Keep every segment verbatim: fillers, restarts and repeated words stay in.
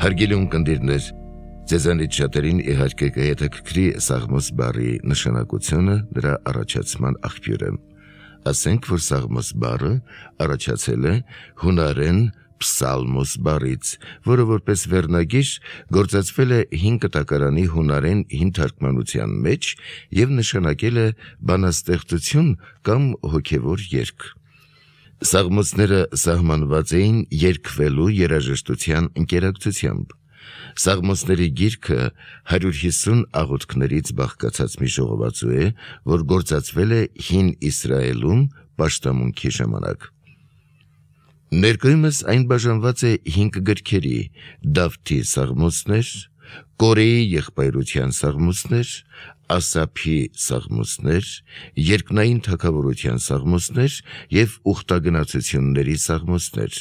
Հարգելի ունկնդիրներ, ձեզանից շատերին իհարկե կհետաքրքրի Սաղմոս բառի նշանակությունը, նրա առաջացման աղբյուրը։ Ասենք, որ Սաղմոս բառը առաջացել է հունարեն Պսալմոս բառից, որը որպես վերնագիր գործածվել է հին կտակարանի հունարեն հին թարգմանության մեջ և նշանակել է բանաստեղծություն կամ հոգևոր երգ։ Սաղմոսները սահմանված էին երգվելու երաժշտության ընկերակցությամբ։ Սաղմոսների գիրքը հարյուր հիսուն աղոթքներից բաղկացած մի ժողովածու է, որ գործածվել է հին Իսրայելում պաշտամունքի ժամանակ։ Ներկայումս այն բաժանված է հինգ գրքերի՝ Դավթի սաղմոսներ, Կորեի եղբայրության սաղմոսներ, Ասափի սաղմոսներ, երկնային թագավորության սաղմոսներ և ուխտագնացությունների սաղմոսներ։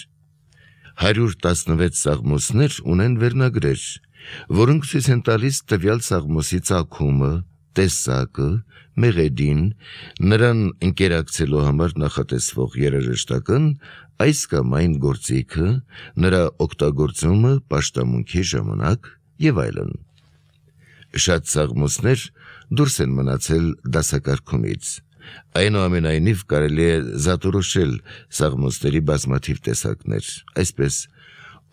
Հարյուր տասնվեց սաղմոսներ ունեն վերնագրեր, որոնք ցույց են տալիս տվյալ սաղմոսի ծագումը, տեսակը, մեղեդին, նրան ընկերակցելու համար նախատեսվող երաժշտական այս կամ այն գործիքը, նրա օգտագործումը պաշտամունքի ժամանակ և այլն։ Շատ սաղմոսներ դուրս են մնացել դասակարգումից։ Այնուամենայնիվ կարելի է զատորոշել սաղմոսների բազմաթիվ տեսակներ, այսպես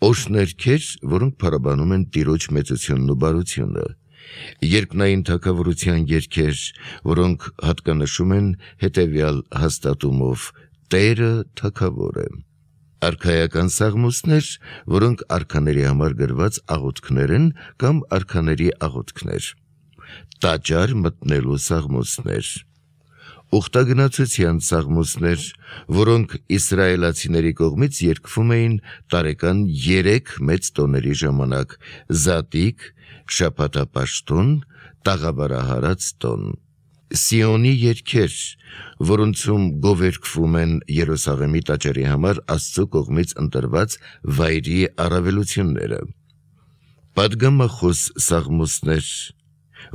օշներգեր, որոնք փառաբանում են Տիրոջ մեծությունն ու բարությունը, երկնային թագավորության երգեր, որոնք հատկանշում են հետևյալ հաստատումով՝ Տերը թագավոր է, արքայական սաղմոսներ, որոնք արքաների համար գրված աղոթքներ են կամ արքաների աղոթքներ, տաճար մտնելու սաղմոսներ, ուխտագնացության սաղմոսներ, որոնք իսրայելացիների կողմից երգվում էին տարեկան երեք մեծ տոների ժամանակ՝ Զատիկ, շաբաթապաշտոն, տաղավարահարած տոն, Սիոնի երգեր, որոնցում գովերգվում են Երուսաղեմի տաճարի համար Աստծո կողմից ընտրված վայրի առավելությունները, պատգամախոս սաղմոսներ,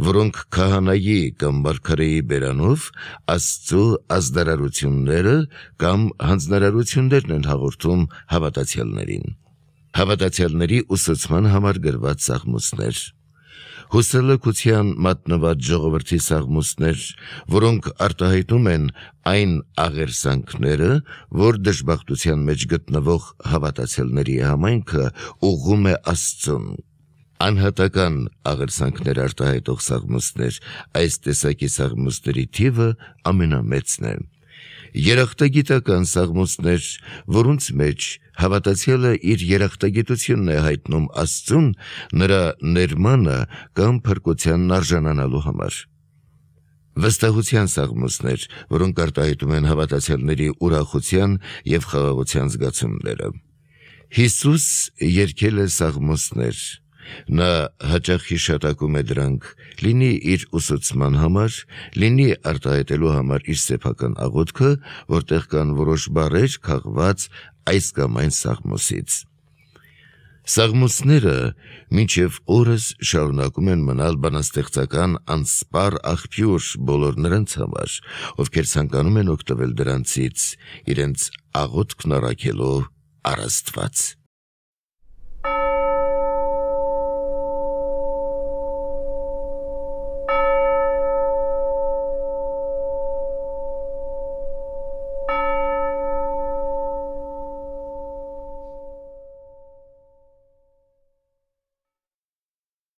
որոնք քահանայի կամ մարգարեի բերանով Աստծո ազդարարությունները կամ հանձնարարություններն են հաղորդում հավատացյալներին, հավատացյալների ուսուցման համար գրված սաղմոսներ, հուսալքության մատնված ժողովրդի սաղմոսներ, որոնք արտահայտում են այն աղերսանքները, որ դժբախտության մեջ գտնվող հավատացյալների համայնքը ուղղում է Աստծուն, անհատական աղերսանքներ արտահայտող սաղմոսներ, այս տեսակի սաղմոսների թիվը ամենամեծն է, երախտագիտական սաղմոսներ, որոնց մեջ հավատացյալը իր երախտագիտությունն է հայտնում Աստծուն նրա ներմանը կամ փրկությանն արժանանալու համար, վստահության սաղմոսներ, որոնք արտահայտում են հավատացյալների ուրախության և խաղաղության զգացումները։ Հիսուս երգել է սաղմոսներ, նա հաճախ հիշատակում է դրանք, լինի իր ուսուցման համար, լինի արտահայտելու համար իր սեփական աղոթքը, որտեղ կան որոշ բառեր քաղված այս կամ այն սաղմոսից։ Սաղմոսները մինչև օրս շարունակում են մնալ բանաստեղծական անսպառ աղբյուր բոլոր նրանց համար, ովքեր ցանկանում են օգտվել դրանցից իրենց աղոթքն առաքելով առ Աստված։